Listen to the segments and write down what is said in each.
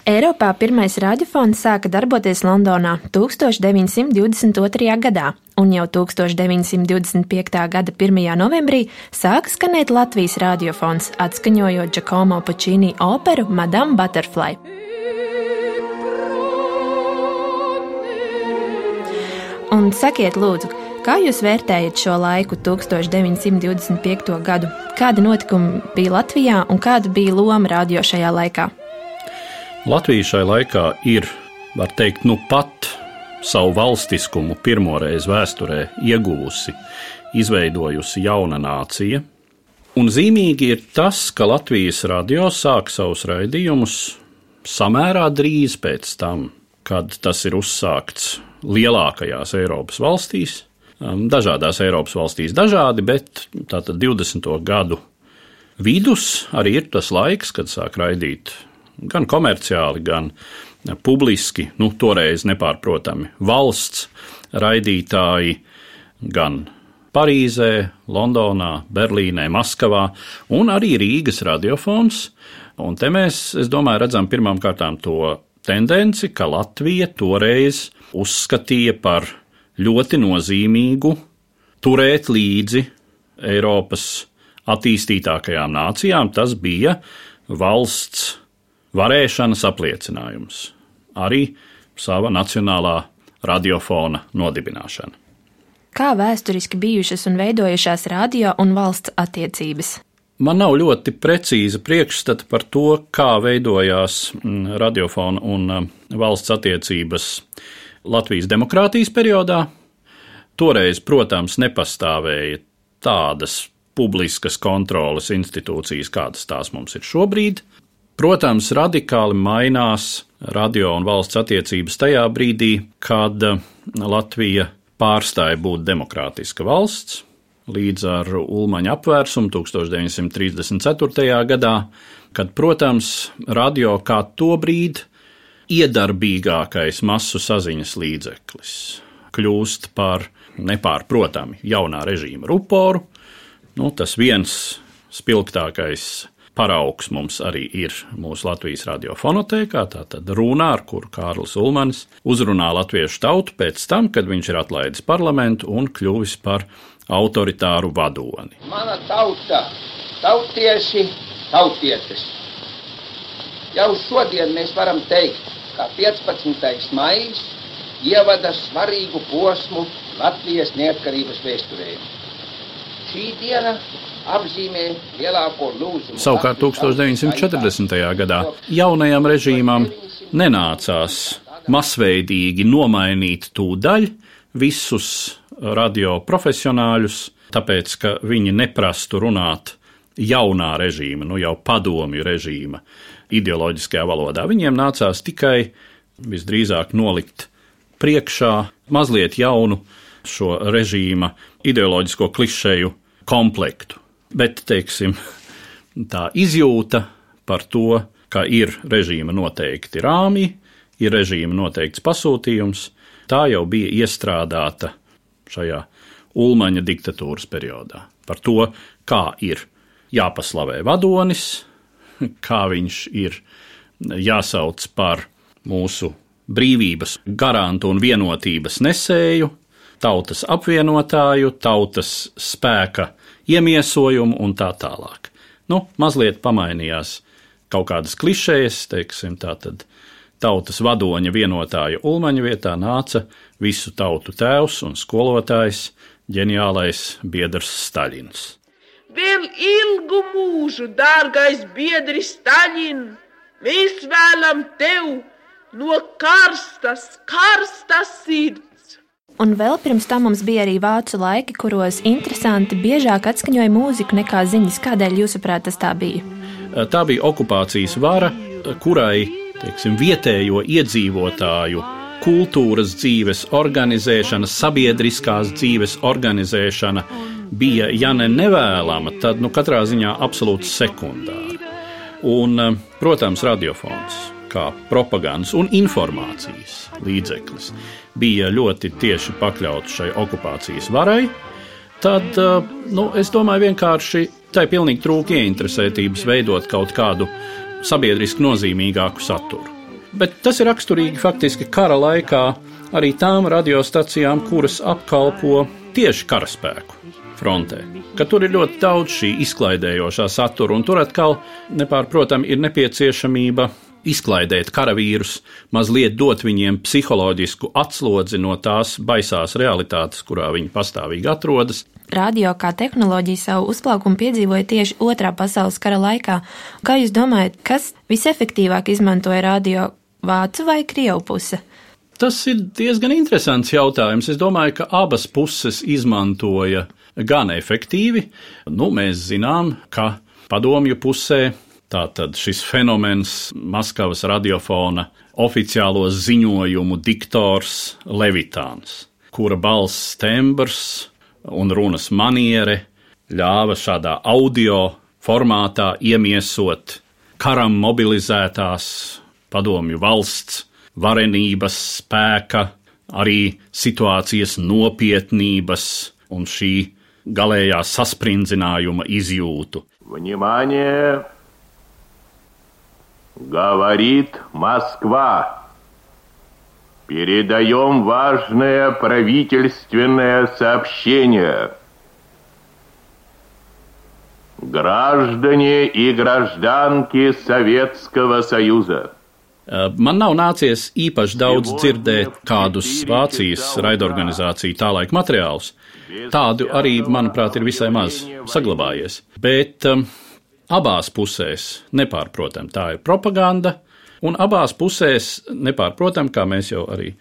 Eiropā pirmais radiofons sāka darboties Londonā 1922. gadā, un jau 1925. gada 1. novembrī sāka skanēt Latvijas radiofons, atskaņojot Giacomo Puccini operu Madame Butterfly. Un sakiet, lūdzu, kā jūs vērtējat šo laiku 1925. gadu? Kādi notikumi bija Latvijā un kāda bija loma radio šajā laikā? Latvija šai laikā ir, var teikt, pat savu valstiskumu pirmoreiz vēsturē ieguvusi, izveidojusi jauna nācija. Un zīmīgi ir tas, ka Latvijas radio sāk savus raidījumus samērā drīz pēc tam, kad tas ir uzsākts lielākajās Eiropas valstīs. Dažādās Eiropas valstīs dažādi, bet tātad 20. gadu vidus arī ir tas laiks, kad sāk raidīt gan komerciāli, gan publiski, toreiz nepārprotami valsts raidītāji, gan Parīzē, Londonā, Berlīnē, Maskavā un arī Rīgas radiofons. Un te mēs, es domāju, redzam pirmām kārtām to tendenci, ka Latvija toreiz uzskatīja par ļoti nozīmīgu turēt līdzi Eiropas attīstītākajām nācijām. Tas bija valsts varēšanas apliecinājums, arī sava nacionālā radiofona nodibināšana. Kā vēsturiski bijušas un veidojušās radio un valsts attiecības? Man nav ļoti precīza priekšstata par to, kā veidojās radiofona un valsts attiecības Latvijas demokrātijas periodā. Toreiz, protams, nepastāvēja tādas publiskas kontroles institūcijas, kādas tās mums ir šobrīd. Protams, radikāli mainās radio un valsts attiecības tajā brīdī, kad Latvija pārstāja būt demokrātiska valsts, līdz ar Ulmaņa apvērsumu 1934. gadā, kad, protams, radio kā tobrīd iedarbīgākais masu saziņas līdzeklis kļūst par nepārprotami jaunā režīma ruporu. Tas viens spilgtākais paraugs mums arī ir mūsu Latvijas radiofonotēkā, tātad runā, ar kuru Kārlis Ulmanis uzrunā latviešu tautu pēc tam, kad viņš ir atlaidis parlamentu un kļuvis par autoritāru vadoni. Mana tauta, tautieši, tautietes. Jau šodien mēs varam teikt, ka 15. maijs ievada svarīgu posmu Latvijas neatkarības vēsturē. Šī diena apzīmē lielāko lūzumu. Savukārt 1940. gadā jaunajam režīmam nenācās masveidīgi nomainīt tūdaļ visus radio profesionāļus, tāpēc, ka viņi neprastu runāt jaunā režīma, jau padomju režīma ideoloģiskajā valodā. Viņiem nācās tikai visdrīzāk nolikt priekšā mazliet jaunu šo režīma ideoloģisko klišeju komplektu. Bet, teiksim, tā izjūta par to, ka ir režīma noteikti rāmji, ir režīma noteikts pasūtījums, tā jau bija iestrādāta šajā Ulmaņa diktatūras periodā. Par to, kā ir jāpaslavē vadonis, kā viņš ir jāsauc par mūsu brīvības garantu un vienotības nesēju, tautas apvienotāju, tautas spēka iemiesojumu un tā tālāk. Mazliet pamainījās kaut kādas klišejas, teiksim, tātad tautas vadoņa vienotāja Ulmaņa vietā nāca visu tautu tēvs un skolotājs, ģeniālais biedrs Staļins. Vēl ilgu mūžu, dārgais biedri Staļin, mēs vēlam tev no karstas sirds. Un vēl pirms tam mums bija arī vācu laiki, kuros interesanti biežāk atskaņoja mūziku nekā ziņas. Kādēļ jūsuprāt tas tā bija? Tā bija okupācijas vara, kurai, teiksim, vietējo iedzīvotāju kultūras dzīves organizēšana, sabiedriskās dzīves organizēšana bija, ja ne nevēlama, tad katrā ziņā absolūti sekundāra. Un, protams, radiofons kā propagandas un informācijas līdzeklis bija ļoti tieši pakļauts šai okupācijas varai, tad, es domāju, vienkārši tai pilnīgi trūka ieinteresētības veidot kaut kādu sabiedriski nozīmīgāku saturu. Bet tas ir raksturīgi faktiski kara laikā arī tām radiostacijām, kuras apkalpo tieši karaspēku frontē. Ka tur ir ļoti daudz šī izklaidējošā satura, un tur atkal nepārprotami ir nepieciešamība izklaidēt karavīrus, mazliet dot viņiem psiholoģisku atslodzi no tās baisās realitātes, kurā viņi pastāvīgi atrodas. Radio kā tehnoloģija savu uzplaukumu piedzīvoja tieši Otrā pasaules kara laikā. Kā jūs domājat, kas visefektīvāk izmantoja radio, vācu vai krievu puse? Tas ir diezgan interesants jautājums. Es domāju, ka abas puses izmantoja gan efektīvi. Mēs zinām, ka padomju pusē tātad šis fenomens Maskavas radiofona oficiālo ziņojumu diktors Levitāns, kura balss tembrs un runas maniere ļāva šādā audio formātā iemiesot karam mobilizētās padomju valsts varenības spēka, arī situācijas nopietnības un šī galējā saspringzinājuma izjūtu. Внимание! Говорит Москва. Передаем важное правительственное сообщение. Граждане и гражданки Советского Союза. Man nav nācies īpaši daudz dzirdēt kādus Vācijas raidorganizāciju tālaik materiālus. Tādu arī, manuprāt, ir visai maz saglabājies. Bet abās pusēs, nepārprotam, tā ir propaganda, un abās pusēs, nepārprotam, kā mēs jau arī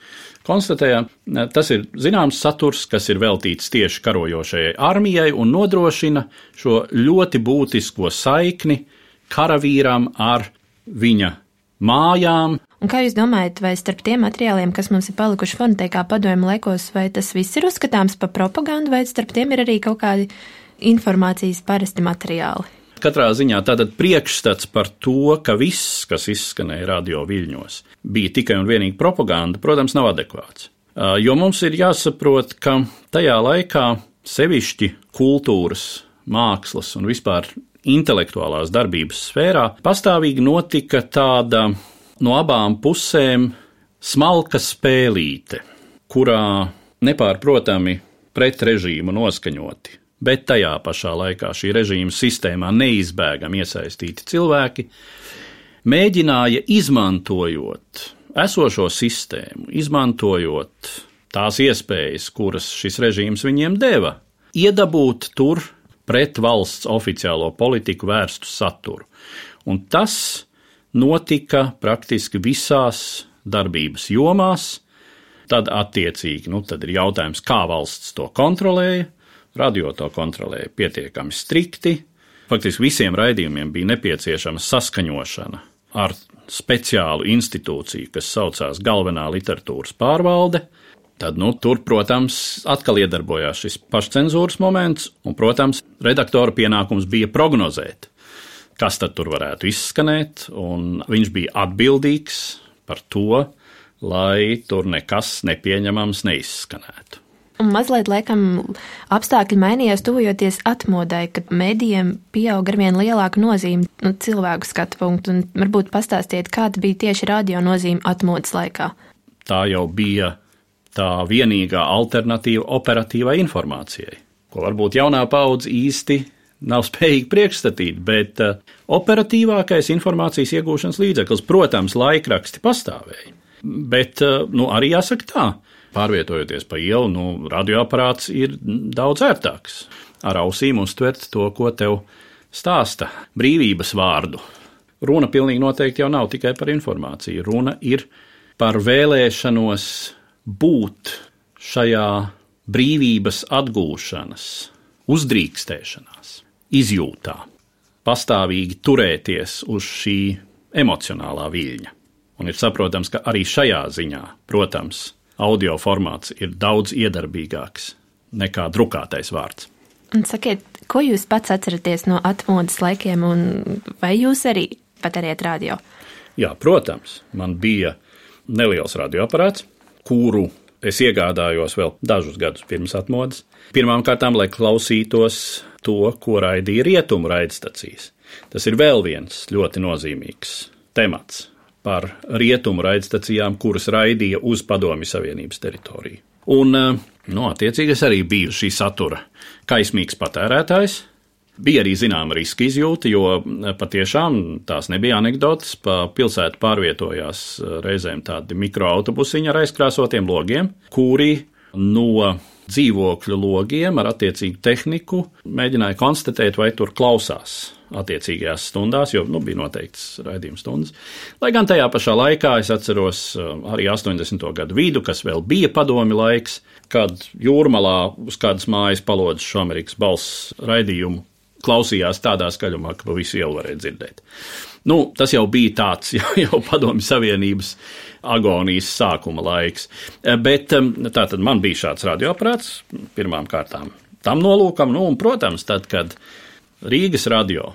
konstatējām, tas ir zināms saturs, kas ir veltīts tieši karojošajai armijai un nodrošina šo ļoti būtisko saikni karavīram ar viņa mājām. Un kā jūs domājat, vai starp tiem materiāliem, kas mums ir palikuši fonotekā padomju laikos, vai tas viss ir uzskatāms par propagandu, vai starp tiem ir arī kaut kādi informācijas parasti materiāli? Katrā ziņā tātad priekšstats par to, ka viss, kas izskanēja radio viļņos, bija tikai un vienīgi propaganda, protams, nav adekvāts. Jo mums ir jāsaprot, ka tajā laikā sevišķi kultūras, mākslas un vispār intelektuālās darbības sfērā pastāvīgi notika tāda no abām pusēm smalka spēlīte, kurā nepārprotami pret režīmu noskaņoti, bet tajā pašā laikā šī režīma sistēmā neizbēgami iesaistīti cilvēki mēģināja, izmantojot esošo sistēmu, izmantojot tās iespējas, kuras šis režīms viņiem deva, iedabūt tur pret valsts oficiālo politiku vērstu saturu. Un tas notika praktiski visās darbības jomās. Tad attiecīgi, tad ir jautājums, kā valsts to kontrolēja. Radio to kontrolēja pietiekami strikti. Faktiski visiem raidījumiem bija nepieciešama saskaņošana ar speciālu institūciju, kas saucās Galvenā literatūras pārvalde. Tad, tur, protams, atkal iedarbojās šis pašcenzūras moments, un, protams, redaktora pienākums bija prognozēt, kas tad tur varētu izskanēt, un viņš bija atbildīgs par to, lai tur nekas nepieņemams neizskanētu. Un mazliet, laikam, apstākļi mainījās tuvojoties atmodai, kad medijiem pieauga arvien lielāka nozīme cilvēku skatu punktu, un varbūt pastāstiet, kāda bija tieši radio nozīme atmodas laikā. Tā jau bija tā vienīgā alternatīva operatīvai informācijai, ko varbūt jaunā paudze īsti nav spējīga priekšstatīt, bet operatīvākais informācijas iegūšanas līdzeklis, protams, laikraksti pastāvēja, bet arī jāsaka tā, pārvietojoties pa ielu, radioaparāts ir daudz ērtāks. Ar ausīm uztvert to, ko tev stāsta brīvības vārdu. Runa pilnīgi noteikti jau nav tikai par informāciju, runa ir par vēlēšanos būt šajā brīvības atgūšanas, uzdrīkstēšanās, izjūtā, pastāvīgi turēties uz šī emocionālā viļņa. Un ir saprotams, ka arī šajā ziņā, protams, audio formāts ir daudz iedarbīgāks nekā drukātais vārds. Un sakiet, ko jūs pats atceraties no atmodas laikiem, un vai jūs arī patērējat radio? Jā, protams, man bija neliels radioaparāts, kuru es iegādājos vēl dažus gadus pirms atmodas. Pirmām kārtām, lai klausītos to, ko raidīja rietumu raidstacijas. Tas ir vēl viens ļoti nozīmīgs temats par rietumu raidstacijām, kuras raidīja uz Padomju Savienības teritoriju. Un, attiecīgi es arī biju šī satura kaismīgs patērētājs. Bija arī zināma riska izjūta, jo patiešām tās nebija anekdotas. Pa pilsētu pārvietojās reizēm tādi mikroautobusiņi ar aizkrāsotiem logiem, kuri no dzīvokļu logiem ar attiecīgu tehniku mēģināja konstatēt, vai tur klausās attiecīgajās stundās, jo bija noteikts raidījuma stundas. Lai gan tajā pašā laikā es atceros arī 80. gadu vidu, kas vēl bija padomju laiks, kad Jūrmalā uz kādas mājas palodzes šo Amerikas balss raidījumu klausījās tādā skaļumā, ka pa visu ielu varēja dzirdēt. Tas jau bija tāds jau Padomju Savienības agonijas sākuma laiks. Bet tātad man bija šāds radioaparāts pirmām kārtām tam nolūkam, un, protams, tad, kad Rīgas radio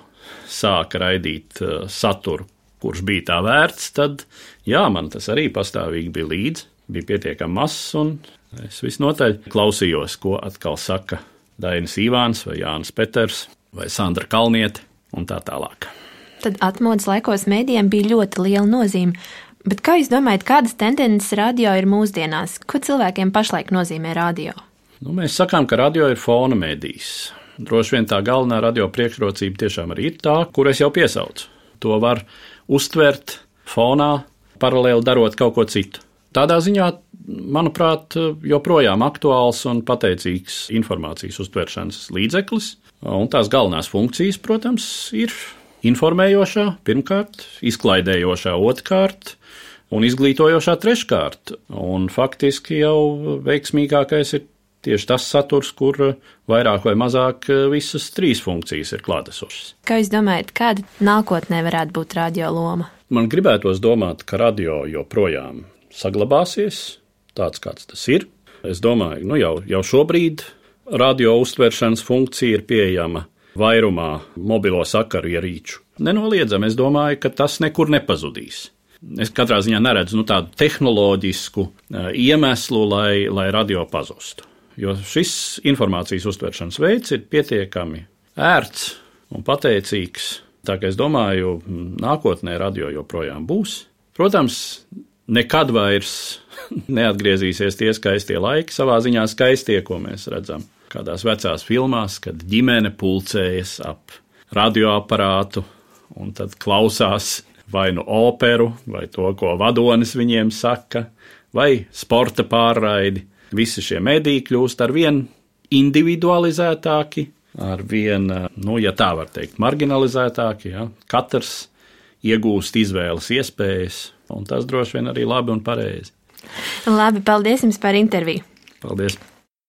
sāka raidīt saturu, kurš bija tā vērts, tad, man tas arī pastāvīgi bija līdzi, bija pietiekami mazs, un es visnotaļ klausījos, ko atkal saka Dainis Ivāns vai Jānis Peters vai Sandra Kalniete un tā tālāk. Tad atmodas laikos mēdījiem bija ļoti liela nozīme, bet kā jūs domājat, kādas tendences radio ir mūsdienās? Ko cilvēkiem pašlaik nozīmē radio? Mēs sakām, ka radio ir fona mēdījis. Droši vien tā galvenā radio priekšrocība tiešām arī ir tā, kur es jau piesaucu. To var uztvert fonā, paralēli darot kaut ko citu. Tādā ziņā, manuprāt, joprojām aktuāls un pateicīgs informācijas uztveršanas līdzeklis, un tās galvenās funkcijas, protams, ir informējošā pirmkārt, izklaidējošā otrkārt un izglītojošā treškārt. Un faktiski jau veiksmīgākais ir tieši tas saturs, kur vairāk vai mazāk visas trīs funkcijas ir klātesošas. Kā jūs domājat, kāda nākotnē varētu būt radio loma? Man gribētos domāt, ka radio joprojām saglabāsies tāds, kāds tas ir. Es domāju, jau šobrīd radio uztveršanas funkcija ir pieejama vairumā mobilo sakaru ierīču. Nenoliedzami, es domāju, ka tas nekur nepazudīs. Es katrā ziņā neredzu tādu tehnoloģisku iemeslu, lai radio pazustu. Jo šis informācijas uztveršanas veids ir pietiekami ērts un pateicīgs. Tā kā es domāju, nākotnē radio joprojām būs. Protams, nekad vairs neatgriezīsies tie skaistie laiki, savā ziņā skaistie, ko mēs redzam kādās vecās filmās, kad ģimene pulcējas ap radioaparātu un tad klausās vai operu, vai to, ko vadonis viņiem saka, vai sporta pārraidi. Visi šie mediji kļūst ar vien individualizētāki, ar vien, ja tā var teikt, marginalizētāki. Ja? Katrs iegūst izvēles iespējas, un tas droši vien arī labi un pareizi. Labi, paldies jums par interviju. Paldies.